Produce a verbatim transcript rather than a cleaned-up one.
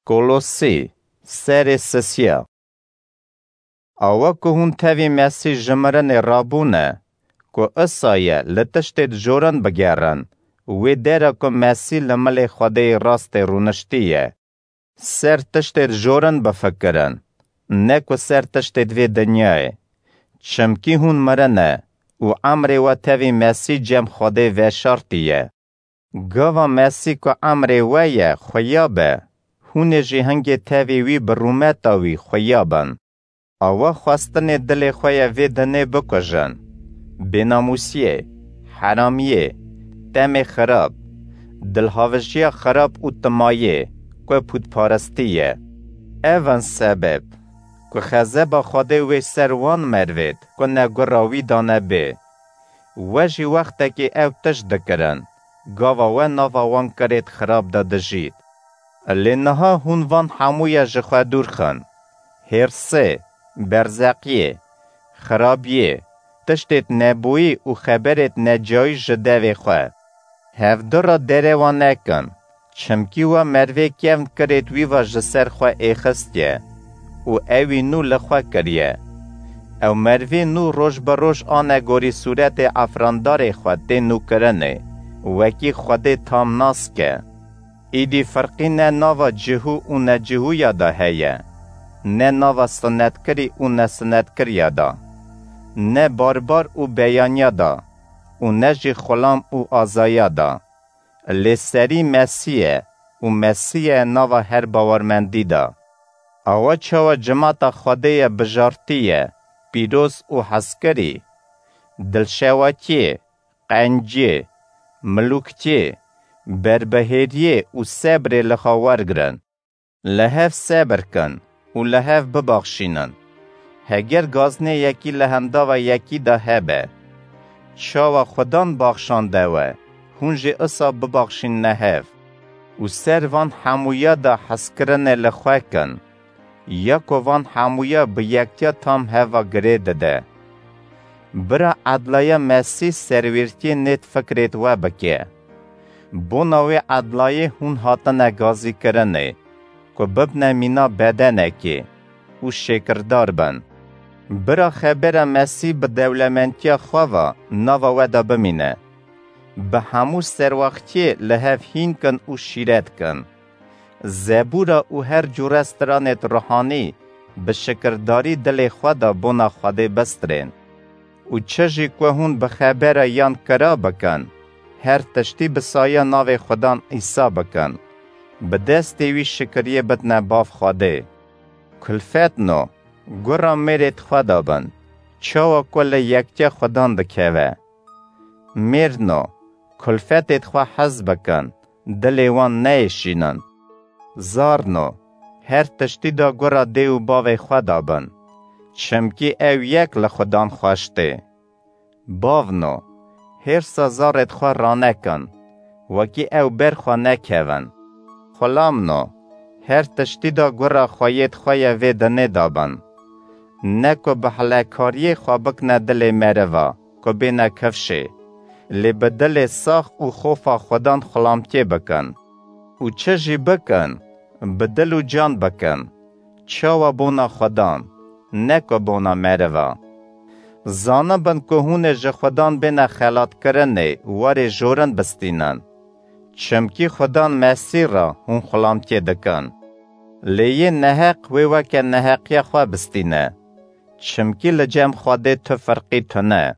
Kolosî, serê sisiya. Awa ku hûn tevî Mesî ji mirinê rabûne, ku isa ye li tiştêd jorin bigerin, wê dera ku Mesî li milê Xwedêyê rastê rûniştiye. Ser tiştêd jorin bifikirin, ne ku ser tiştêd vê dinyayê. Çimkî hûn mirine û emrê we tevî Mesî cem Xwedê veşartiye. Gava Mesî ku emrê we ye xuya be, hûn ê jî hingê tevî wî bi rûmeta wî xuya bin. Awa xwestinê dilê xwe ye vê dinê bikujin: bênamûsiyê, heramiyê, temê xirab, dilhavijiya xirab û timayê, ku pûtparistî ye. Ev in sebeb ku xezeba Xwedê wê ser wan mervêd ku ne gura wî dane bê. We jî wextekî ew tişt dikirin, gava we nava wan kirêd xirab de dijît. Lê niha hûn van hemûya ji xwe dûr xin: hêrsê, berzeqiyê, xirabiyê, tiştêd nebûyî û xeberêd necayî ji devê xwe. Hevdu re derê wan nekin, çimkî we mervê kevn kirêd wî ve ji ser xwe êxistiye û ewî nû li xwe kiriye. Ew mervê nû roj bi roj ane gorî sûretê efrandarê xwe tê nûkirinê, wekî Xwedê tam nas ke. Îdî firqî ne nava cihû û necihûya de heye, ne nava sinetkirî û nesinetkiriya de, ne barbar û beyaniya de û ne jî xulam û azaya de. Lê serî Mesî ye û Mesî ye nava her bawermendî de. Awa çawa cimata Xwedê ye bijartî ye, pîroz û hezkirî, dilşewatiyê, qenciyê, milûktiyê, berbihêriyê û sebrê li xwe wergirin. Li hev sebir kin û li hev bibaxşînin. Heger gaznê yekî li hindava yekî de hebe, çawa Xudan baxşande we, hûn jî isa bibaxşînne hev. Û ser van hemûya de hezkirinê li xwe kin, ya ku van hemûya bi yektiya tam heva girê dide. Bira edlaya Mesîh serwîrtiyê nêt fikrêt we bike. Bona wê edlayê hûn hatine gazîkirinê, ku bibne mîna bedenekê û şêkirdar bin. Bira xebera Mesîh bi dewlementiya xwe ve nava we de bimîne. Bi hemû serwextiyê li hev hîn kin û şîret kin. Zebûra û her cûre stranêd ruhanî bi şikirdarî dilê xwe de bona Xwedê bistirên. Û çi jî ku hûn bi xebera yan kira bikin, her tiştî bi saya navê Xudan Îsa bikin. Bi destê wî şikiriyê bidne Bav Xwedê. Kulfetno, gura mêrêd xwe de bin, çawa ku li yektiya Xudan dikeve. Mêrno, kulfetêd xwe hez bikin, dilê wan neyêşînin. Zarno, her tiştî de gura dê û bavê xwe de bin, çimkî ew yek li Xudan xweş tê. Bavno, hêrsa zarêd xwe ranekin, wekî ew ber xwe nekevin. Xulamno, her tiştî de gura xweyêd xwe ye vê dinê de bin. Ne ku bi hilekariyê xwe bikine dilê meriva, ku bêne kifşê, lê bi dilê sax û xofa Xudan xulamtiyê bikin. Û çi jî bikin, bi dil û can bikin, çawa bona Xudan, ne ku bona meriva. Zanibin ku hûn ê ji Xudan bêne xelatkirinê warê jorin bistînin. Çimkî Xudan Mesîh re hûn xulamtiyê dikin. Lê yê neheq wê weke neheqiya xwe bistîne. Çimkî li cem Xwedê tu firqî tune.